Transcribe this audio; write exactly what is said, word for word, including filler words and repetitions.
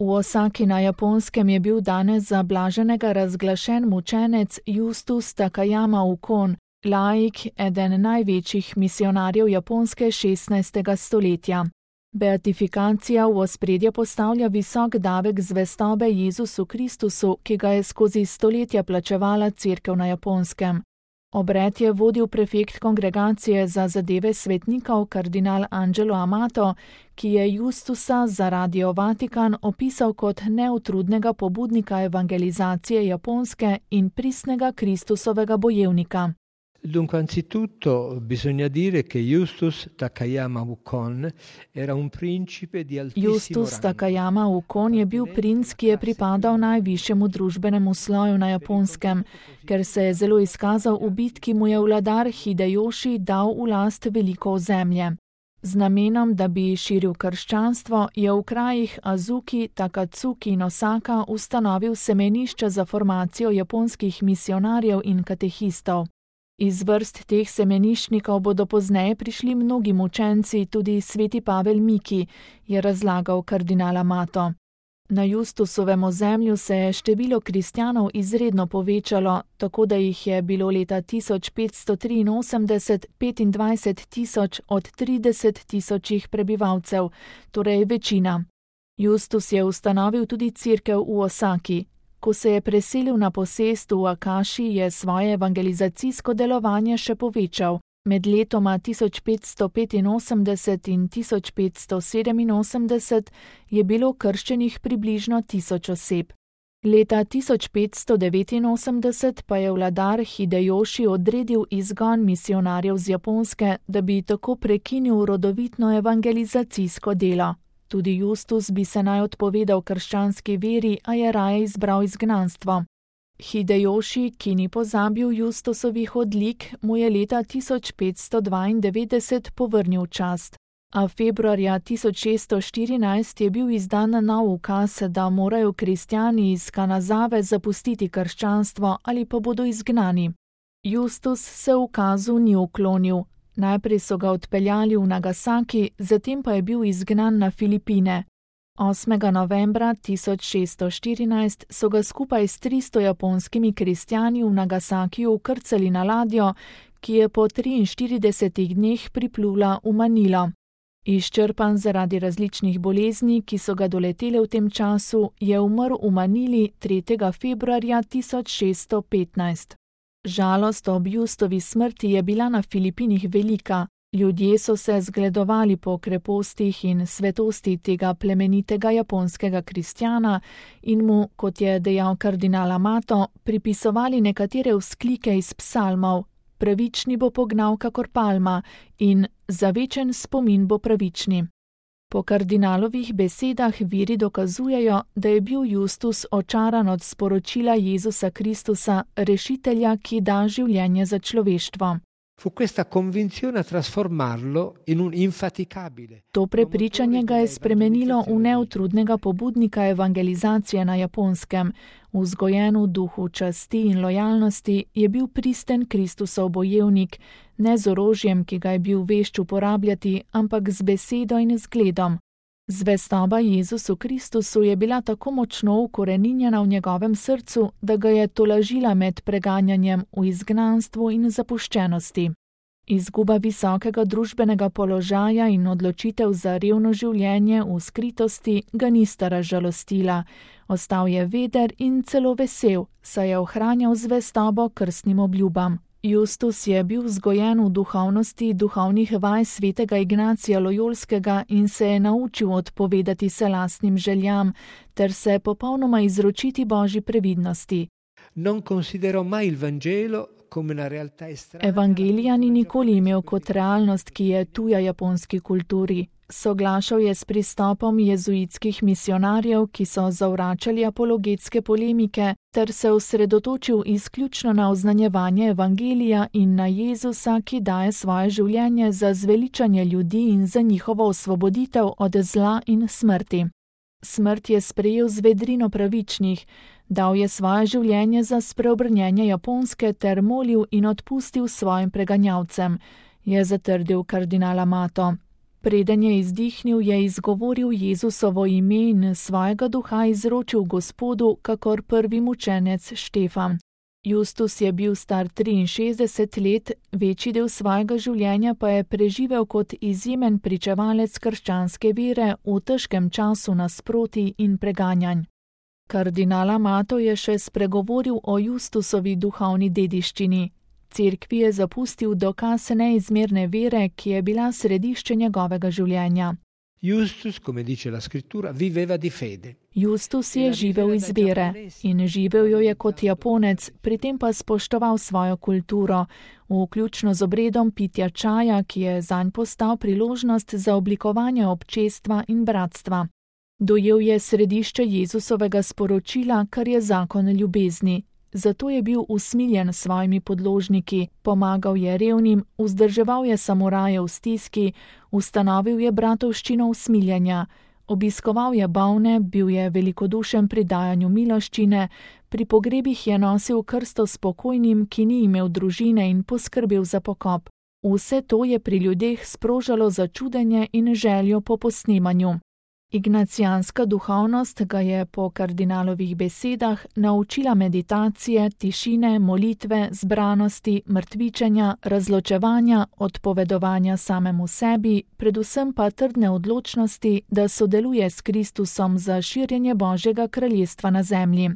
V Osaki na Japonskem je bil danes za blaženega razglašen mučenec Justus Takayama Ukon, laik, eden največjih misionarjev Japonske šestnajstega stoletja. Beatifikacija v ospredje postavlja visok davek zvestobe Jezusu Kristusu, ki ga je skozi stoletja plačevala cerkev na Japonskem. Obred je vodil prefekt kongregacije za zadeve svetnikov kardinal Angelo Amato, ki je Justusa za Radio Vatikan opisal kot neutrudnega pobudnika evangelizacije Japonske in pristnega Kristusovega bojevnika. Dunque, anzitutto bisogna dire che Justus Takayama Ukon era un principe di altissimo Justus Takayama Ukon je bil princ, ki je pripadal najvišjemu družbenemu sloju na Japonskem, ker se je zelo izkazal v bitki, mu je vladar Hidejoši dal v last veliko ozemlje. Z namenom, da bi širil krščanstvo, je v krajih Azuki, Takatsuki in Osaka ustanovil semenišča za formacijo japonskih misionarjev in katehistov. Iz vrst teh semeniščnikov bodo pozneje prišli mnogi mučenci, tudi sveti Pavel Miki, je razlagal kardinal Amato. Na Justusovem ozemlju se je število kristjanov izredno povečalo, tako da jih je bilo leta tisoč petsto triinosemdeset petindvajset tisoč od trideset tisočih prebivalcev, torej večina. Justus je ustanovil tudi cerkev v Osaki. Ko se je preselil na posest v Akaši, je svoje evangelizacijsko delovanje še povečal. Med letoma tisoč petsto petinosemdeset in tisoč petsto sedeminosemdeset je bilo krščenih približno tisoč oseb. Leta tisoč petsto devetinosemdeset pa je vladar Hidejoši odredil izgon misionarjev z Japonske, da bi tako prekinil rodovitno evangelizacijsko delo. Tudi Justus bi se naj odpovedal krščanski veri, a je raje izbral izgnanstvo. Hidejoši, ki ni pozabil Justusovih odlik, mu je leta tisoč petsto dvaindevetdeset povrnil čast. A februarja tisoč šeststo štirinajst je bil izdan nov ukaz, da morajo kristjani iz Kanazave zapustiti krščanstvo ali pa bodo izgnani. Justus se ukazu ni uklonil. Najprej so ga odpeljali v Nagasaki, zatem pa je bil izgnan na Filipine. osmega novembra tisoč šeststo štirinajst so ga skupaj s tristo japonskimi kristjani v Nagasakiju vkrcali na ladjo, ki je po triinštiridesetih dneh priplula v Manilo. Izčrpan zaradi različnih bolezni, ki so ga doletele v tem času, je umrl v Manili tretjega februarja tisoč šeststo petnajst. Žalost ob Justovi smrti je bila na Filipinih velika. Ljudje so se zgledovali po krepostih in svetosti tega plemenitega japonskega kristjana in mu, kot je dejal kardinal Amato, pripisovali nekatere vzklike iz psalmov: pravični bo pognal kakor palma in za večen spomin bo pravični. Po kardinalovih besedah viri dokazujejo, da je bil Justus očaran od sporočila Jezusa Kristusa, rešitelja, ki da življenje za človeštvo. Fu questa convinzione a trasformarlo in un infaticabile. To prepričanje ga je spremenilo v neutrudnega pobudnika evangelizacije na Japonskem. Vzgojen v duhu časti in lojalnosti je bil pristen Kristusov bojevnik, ne z orožjem, ki ga je bil vešč uporabljati, ampak z besedo in zgledom. Zvestoba Jezusu Kristusu je bila tako močno ukoreninjena v njegovem srcu, da ga je tolažila med preganjanjem v izgnanstvu in zapuščenosti. Izguba visokega družbenega položaja in odločitev za revno življenje v skritosti ga nista razžalostila. Ostal je veder in celo vesel, saj je ohranjal zvestobo krstnim obljubam. Justus je bil vzgojen v duhovnosti duhovnih vaj svetega Ignacija Lojolskega in se je naučil odpovedati se lastnim željam ter se popolnoma izročiti Božji previdnosti. Non considerò mai il Vangelo come una realtà estranea. Evangelija ni nikoli imel kot realnost, ki je tuja japonski kulturi. Soglašal je s pristopom jezuitskih misionarjev, ki so zavračali apologetske polemike, ter se osredotočil izključno na oznanjevanje evangelija in na Jezusa, ki daje svoje življenje za zveličanje ljudi in za njihovo osvoboditev od zla in smrti. Smrt je sprejel z vedrino pravičnih, dal je svoje življenje za spreobrnjenje Japonske ter molil in odpustil svojim preganjavcem, je zatrdil kardinal Amato. Preden je izdihnil, je izgovoril Jezusovo ime in svojega duha izročil Gospodu, kakor prvi mučenec Štefan. Justus je bil star triinšestdeset let, večji del svojega življenja pa je preživel kot izjemen pričevalec krščanske vere v težkem času nasprotij in preganjanj. Kardinal Amato je še spregovoril o Justusovi duhovni dediščini. Cerkvi je zapustil dokaz neizmerne vere, ki je bila središče njegovega življenja. Justus, come dice la scrittura, viveva di fede. Justus je živel iz vere in živel jo je kot Japonec, pri tem pa spoštoval svojo kulturo, vključno z obredom pitja čaja, ki je zanj postal priložnost za oblikovanje občestva in bratstva. Dojel je središče Jezusovega sporočila, kar je zakon ljubezni. Zato je bil usmiljen s svojimi podložniki, pomagal je revnim, vzdrževal je samuraje v stiski, ustanovil je bratovščino usmiljenja, obiskoval je bolne, bil je velikodušen pri dajanju miloščine, pri pogrebih je nosil krsto spokojnim, ki ni imel družine in poskrbel za pokop. Vse to je pri ljudeh sprožalo začudenje in željo po posnemanju. Ignacijanska duhovnost ga je po kardinalovih besedah naučila meditacije, tišine, molitve, zbranosti, mrtvičenja, razločevanja, odpovedovanja samemu sebi, predvsem pa trdne odločnosti, da sodeluje s Kristusom za širjenje Božjega kraljestva na zemlji.